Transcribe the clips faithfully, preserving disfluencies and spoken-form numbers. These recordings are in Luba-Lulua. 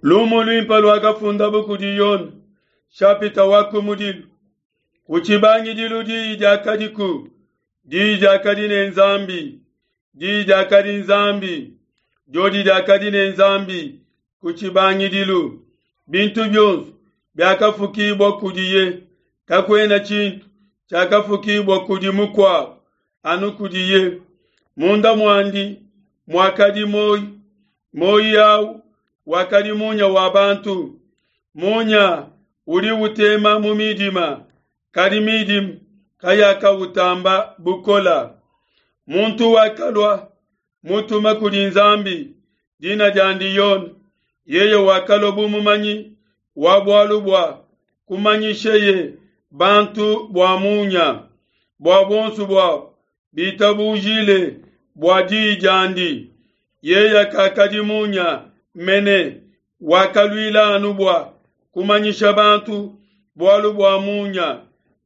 Lumu luimpe luakafundabo kudi Yone, shapita wa kumudilu. Ku tshibangidilu diyi diakadiku, diyi diakadi ne Nzambi, diyi diakadi Nzambi, diodi diakadi ne Nzambi ku tshibangidilu. Bintu bionso biakafukibua kudiye, kakuena tshintu tshiakafukibua kudi mukuabo anu kudiye. Munda muandi muakadi muoyo, muoyo awu wakadi munya wa bantu. Munya udi utema mu midima, kadi midima kayakautamba bukola. Muntu wakalua mutuma kudi Nzambi, dina diandi Yone. Yeye wakalua bu mumanyi wa bualu bua kumanyisheye bantu bua munya, bua buonso buabo bitabujile bua diyi diandi. Yeye kakadi munya mene, wakaluila anu bua kumanyisha bantu bualu bua munya.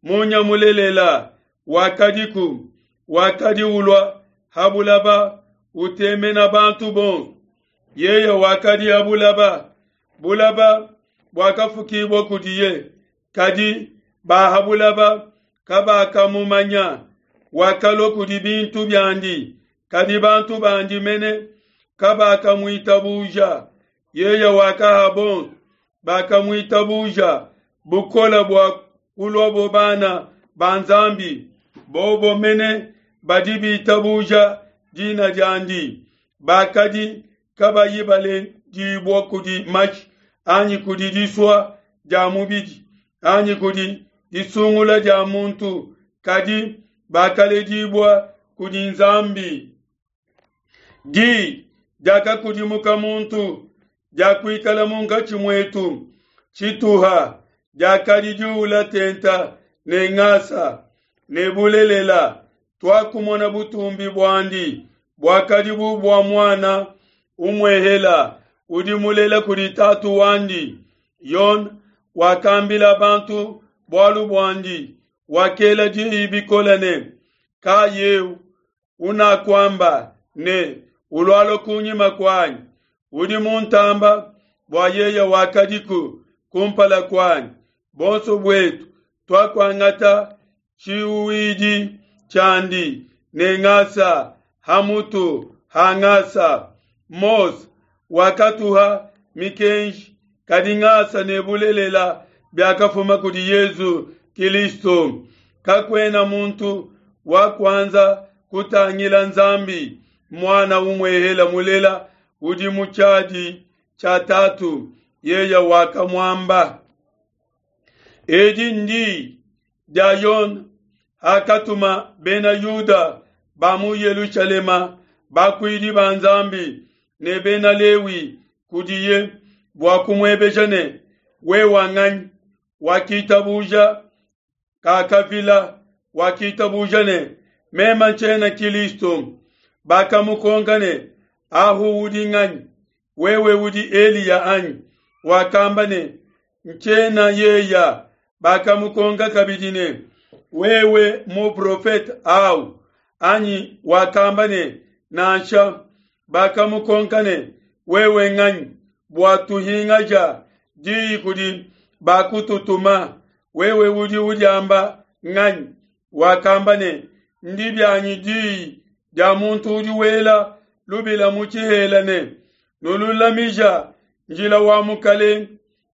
Munya mulelela wakadiku, wakadi ulua ha bulaba, utemena bantu bonso. Yeye wakadi ha bulaba, bulaba buakafukibua kudiye, kadi ba ha bulaba kabakamumanya. Wakalua kudi bintu biandi, kadi bantu bandi mene kabakamuitabuja. Yeye wakaha bonso bakamuitabuja bukole bua kuluabo bana ba Nzambi, bobo mene badi bitabuja dina diandi, bakadi kabayi baledibua kudi mashi anyi kudi disua dia mubidi anyi kudi disungula dia muntu, kadi bakaledibua kudi Nzambi. Diyi diakakudimuka muntu, diakuikala munkatshi muetu, tshituha diakadi diula tenta ne ngasa ne bulelela. Tuakumona butumbi buandi, buakadi bu bua muana umuehela udi mulela kudi tatu wandi. Yone wakambila bantu bualu buandi, wakela diyi bikole ne, ka yeu unakuamba ne, ulualua kunyima kuanyi, udi muntamba, bua yeye wakadiku kumpala kuanyi. Bonso buetu tuakuangata tshiuwidi tshiandi ne ngasa ha mutu ha ngasa. Mose wakatuha mikenji, kadi ngasa ne bulelela biakafuma kudi Yesu Kilisto. Kakuena muntu wakuanza kutangila Nzambi, muana umuehela mulela udi mu tshiadi tshia Tatu, yeye wakamuamba. Edi ndi dia Yone hakatuma bena Yuda ba mu Yelushalema bakuidi ba Nzambi ne bena Lewi kudiye bua kumuebeja ne, wewe nganyi? Wakitabuja kakavila, wakitabuja ne, meme ntshiena Kilisto. Bakamukonka ne, ahu udi nganyi? Wewe udi Eliya anyi? Wakamba ne, ntshiena yeya. Bakamukonka kabidi ne, wewe muprofete au anyi? Wakamba ne, nansha. Bakamukonka ne, wewe nganyi? Bua tuhingaja diyi kudi bakututuma, wewe udi udiamba nganyi? Wakamba ne, ndi bianyi diyi dia muntu udi wela lubila mu tshihela ne, nululamija njila wa Mukalenge,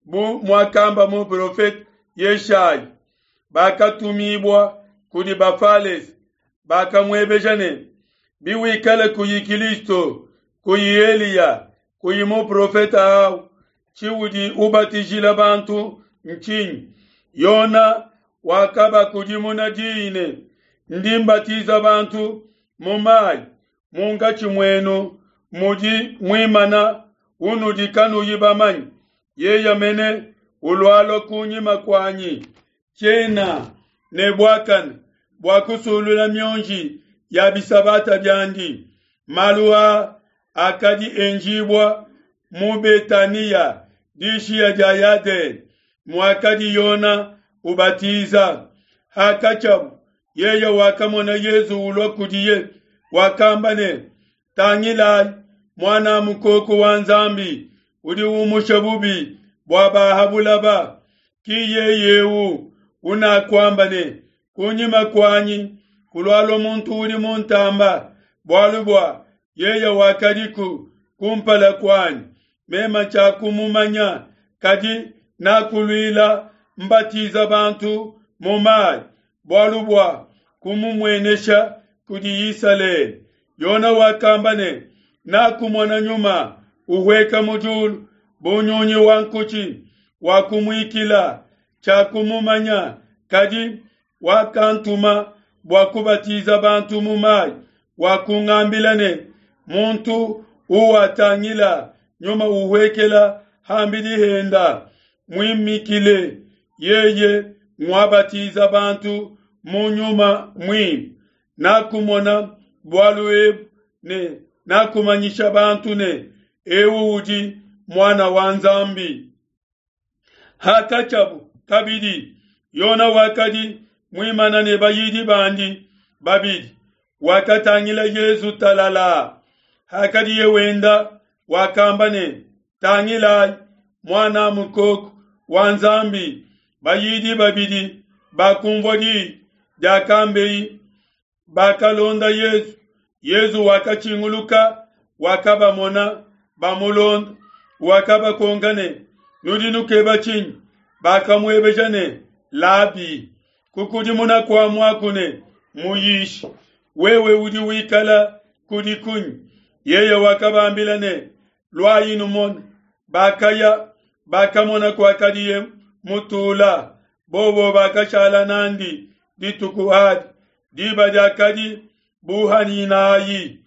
bu muakamba muprofete Yeshayi. Bakatumibua kudi Bafalese, bakamuebeja ne, biwikale kuyi Kilisto, kuyi Eliya, kuyi muprofete au, tshiudi ubatijila bantu ntshinyi? Yona wakabakudimuna diyi ne, ndi mbatiza bantu mu mayi, munkatshi muenu mudi muimana unudi kanuyi bamanye, yeye mene ulualua kunyima kuanyi, tshiena ne buakane bua kusulula mionji ya bisabata biandi. Malu aa akadi enjibua mu Betania, dishiya dia Yadene, muakadi Yona ubatiza. Hakatshiabu, yeye wakamona Yesu ulua kudiye, wakamba ne, tangilayi muana mukoko wa Nzambi udi umusha bubi bua ba ha bulaba. Ki yeye eu unakuamba ne, kunyima kuanyi kulualua muntu udi muntamba, bualu bua yeye wakadiku kumpala kuanyi. Mema tshiakumumanya, kadi nakuluila mbatiza bantu mu mayi, bualu bua kumumuenesha kudi Isalele. Yona wakamba ne, nakumona nyuma uhueka mu diulu bu nyunyi wa nkutshi, wakumuikila. Tshiakumumanya, kadi wakantuma bua kubatiza bantu mu mayi, wakungambila ne, muntu uwatangila nyuma uhuekela hambidi henda muimikile, yeye nguabatiza bantu mu nyuma muimpe. Nakumona bualu ebu ne nakumanyisha bantu ne, ewu udi muana wa Nzambi. Hakatshiabu kabidi, Yona wakadi muimana ne bayidi bandi babidi, wakatangila Yesu talala. Hakadiye wenda, wakamba ne, tangilayi muana mukoko wa Nzambi. Bayidi babidi bakumvua diyi diakambeye, bakalonda Yesu. Yesu wakatshinguluka, wakabamona bamulonda, wakabakonka ne, nudi nukeba tshinyi? Bakamuebeja ne, Labi, kukudimuna kua muaku ne, Muyishi, wewe udi wikala kudi kunyi? Yeye wakabambila ne, luayi numone. Bakaya, bakamona kuakadiye mutula, bobo bakashala nandi dituku adi. Diba diakadi buhaninayi,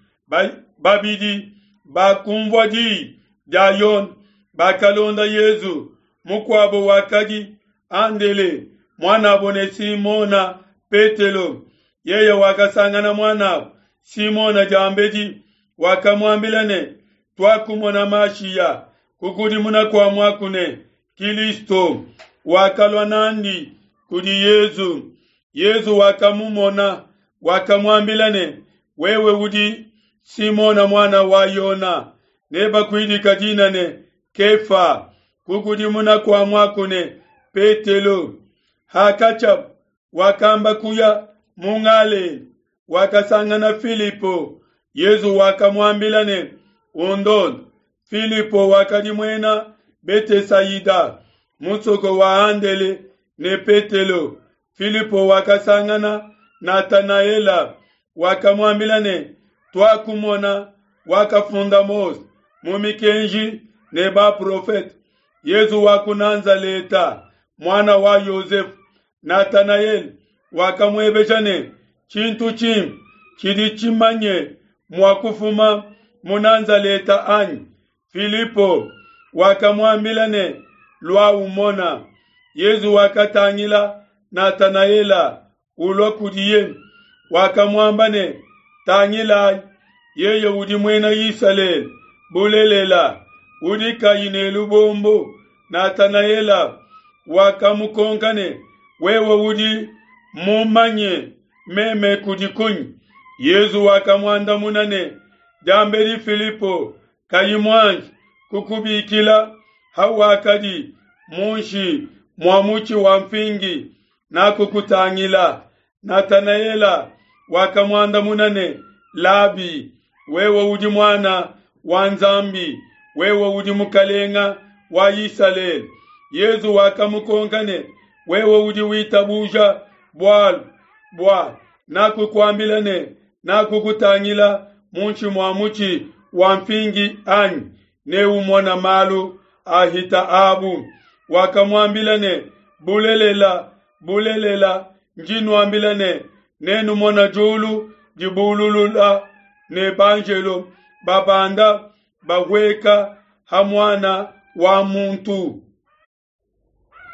babidi bakumvua diyi dia Yona, bakalonda Yesu. Mukuabo wakadi Andele, muanabo ne Simona Petelo. Yeye wakasangana muanabo Simona diambedi, wakamuambila ne, tuakumona Mashiya, kukudimuna kua muaku ne, Kilisto. Wakalua nandi kudi Yesu. Yesu wakamumona, wakamuambila ne, wewe udi Simona muana wa Yona, nebakuidika dina ne Kefa, kukudimuna kua muaku ne, Petelo. Hakatshiabu wakamba kuya mu Galela, wakasangana Filipo. Yesu wakamuambila ne, undonde. Filipo wakadi muena Betesaida, musoko wa Andele ne Petelo. Filipo wakasangana Natanaela, wakamuambila ne, tuakumona wakafunda Mose mu mikenji ne baprofete, Yesu wa ku Nazaleta, muana wa Yosefu. Natanaele wakamuebeja ne, tshintu tshimpe tshidi tshimanye mua kufuma mu Nazaleta anyi? Filipo wakamuambila ne, lua umona. Yesu wakatangila Natanaela ulua kudiye, wakamuamba ne, tangilayi, yeye udi muena Isalele bulelela, udi kayi ne lubombo. Natanaela wakamukonka ne, wewe udi mumanye meme kudi kunyi? Yesu wakamuandamuna ne, diambedi Filipo kayi muanji kukubikila, hawakadi munshi mua mutshi wa mfingi, nakukutangila. Natanaela wakamuandamuna ne, Labi, wewe udi muana wa Nzambi, wewe udi mukalenga wa Isalele. Yesu wakamukonka ne, wewe udi witabuja bualu bua nakukuambila ne, nakukutangila munshi mua mutshi wa mfingi anyi? Neumona malu ahita abu. Wakamuambila ne, bulelela, bulelela, ndi nuambila ne, nenumona diulu dibululula ne banjelo babanda bahueka ha muana wa muntu.